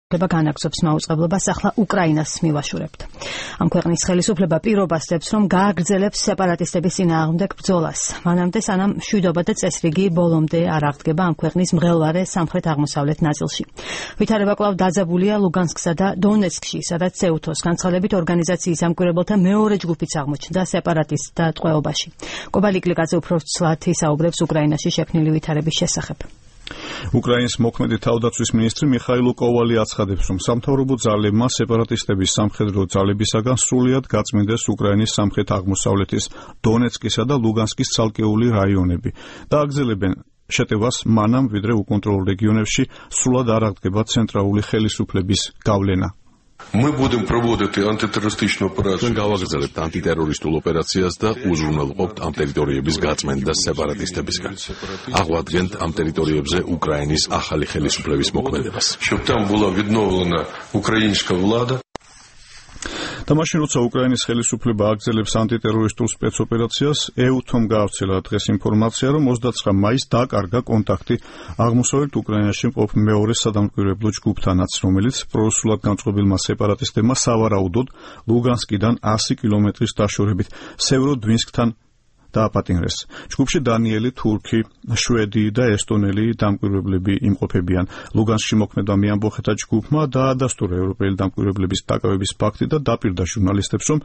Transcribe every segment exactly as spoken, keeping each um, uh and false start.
ხელისუფლება განაგრძობს მაუწყებლობას ახლა უკრაინას მივაშურებთ. Ამ ქვეყნის ხელისუფლება პირობას დებს, რომ გააგრძელებს სეპარატისტების წინააღმდეგ ბრძოლას. მანამდე სანამ მშვიდობა და წესრიგი ბოლომდე არ აღდგება ამ ქვეყნის მღელვარე სამხრეთ-აღმოსავლეთ ნაწილში. ვითარება კვლავ დაძაბულია ლუგანსკსა და დონეცკში, სადაც სეუთოს განცხადებით ორგანიზაციის ამკვირვებელთა მეორე ჯგუფიც აღმოჩნდა სეპარატისტთა ტყვეობაში. კობალიკ ლიკაძე უფრო ცვლად ისაუბრებს უკრაინაში შექმნილი ვითარების შესახებ. უკრაინის მოქმედი თავდაცვის მინისტრი მიხაილ კოვალი აცხადებს, რომ სამთავრობო ძალებმა სეპარატისტების სამხედრო ძალებისაგან სრულად გაწმინდეს უკრაინის სამხრეთ-აღმოსავლეთის დონეცკისა და ლუგანსკის ცალკეული რაიონები და აგრძელებენ შეტევას მანამ, ვიდრე უკონტროლ რეგიონებში სრულად არ აღდგება ცენტრალური ხელისუფლების გავლენა. Мы будем проводить антитеррористичную операцию. გავაგრძელებთ ანტიტერორისტულ ოპერაციას და უზრუნველყოფთ ამ ტერიტორიების გაწმენდას სეპარატისტებისგან. აღვადგენთ ამ ტერიტორიებზე უკრაინის ახალი ხელისუფლების მოქმედებას. Чтобы там была відновлена украинская влада. და მაშინ, როცა უკრაინის ხელისუფლება აგრძელებს ანტიტერორისტულ სპეცოპერაციას, ეუთომ გაავრცელა დღეს ინფორმაცია, რომ ოცდაცხრა მაისს დაკარგა კონტაქტი აღმოსავლეთ უკრაინაში მყოფ მეორე სადამკვირვებლო ჯგუფთანაც, რომელიც პრორუსულად განწყობილმა სეპარატისტებმა სავარაუდოდ ლუგანსკიდან ასი კილომეტრის დაშორებით სევროდვინსკთან დააპატიმრეს. ჯგუფში დანიელი, თურქი, შვედი და ესტონელი დამკვირვებლები იმყოფებიან. ლუგანსკში მოქმედმა მეამბოხეთა ჯგუფმა დაადასტურა ევროპელი დამკვირვებლების დაკავების ფაქტი და დაპირდა ჟურნალისტებს, რომ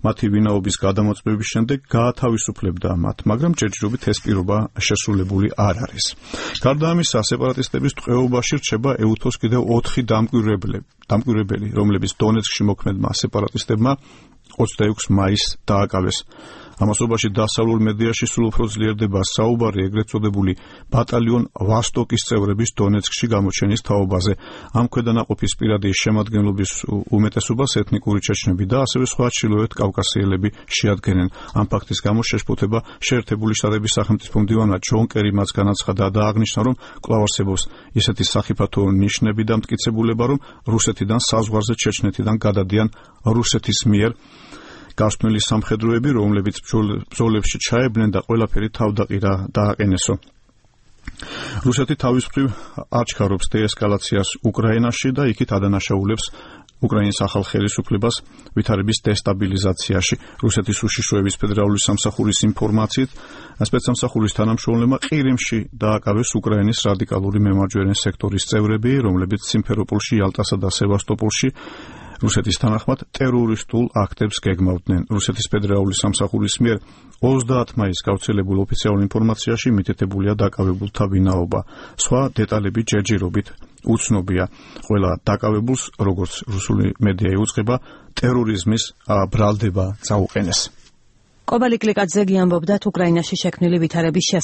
მათი ვინაობის გადამოწმების შემდეგ გაათავისუფლებდა მათ, მაგრამ ჯერჯერობით ეს პირობა შესრულებული არ არის. გარდა ამისა, სეპარატისტების ტყვეობაში რჩება ეუთოს კიდევ ოთხი დამკვირვებელი, რომლებიც დონეცკში მოქმედმა სეპარატისტებმა ოცდაექვსი მაისს დააკავეს. ამასობაში დასავლურ მედიაში სულ უფრო ძლიერდება საუბარი ეგრეთ წოდებული ბატალიონ ვასტოკის წევრების დონეცკში გამოჩენის თაობაზე. ამ ქვედანაყოფის პირადი შემადგენლობის უმეტესობას ეთნიკური ჩეჩნები და ასევე სხვა ჩრდილოეთ კავკასიელები შეადგენენ. ამ ფაქტის გამო შეშფოთება შეერთებული შტატების სახელმწიფო მდივანმა ჯონ კერი მას განაცხადა და აღნიშნა, რომ კვლავ არსებობს ისეთი სახიფათო ნიშნები და მტკიცებულება, რომ რუსეთიდან საზღვარზე ჩეჩნეთიდან გადადიან რუსეთის მიერ გასვენილი სამხედროები, რომლებიც ბრძოლებში ჩაებნენ და ყველაფერი თავდაყირა დააყენესო. რუსეთი თავის მხრივ აჩქარობს დეესკალაციას უკრაინაში და იქით ადანაშაულებს უკრაინის ახალ ხელისუფლებას ვითარების დესტაბილიზაციაში. რუსეთის უშიშროების ფედერალური სამსახურის ინფორმაციით, სპეცსამსახურის თანამშრომლებმა ყირიმში დააკავეს უკრაინის რადიკალური მემარჯვენე სექტორის წევრები, რომლებიც სიმფეროპოლში, იალტასა და სევასტოპოლში რუსეთის თანახმად ტერორისტულ აქტებს გეგმავდნენ. რუსეთის ფედერალური სამსახურის მიერ ოცდაათი მაისს გავრცელებულ ოფიციალურ ინფორმაციაში მითითებულია დაკავებულთა ვინაობა. სხვა დეტალები ჯერჯერობით უცნობია. ყველა დაკავებულს, როგორც რუსული მედია იუწყება, ტერორიზმის ბრალდება წაუყენეს. კობალიკ ლიკაძე ამბობდა უკრაინაში შექმნილი ვითარების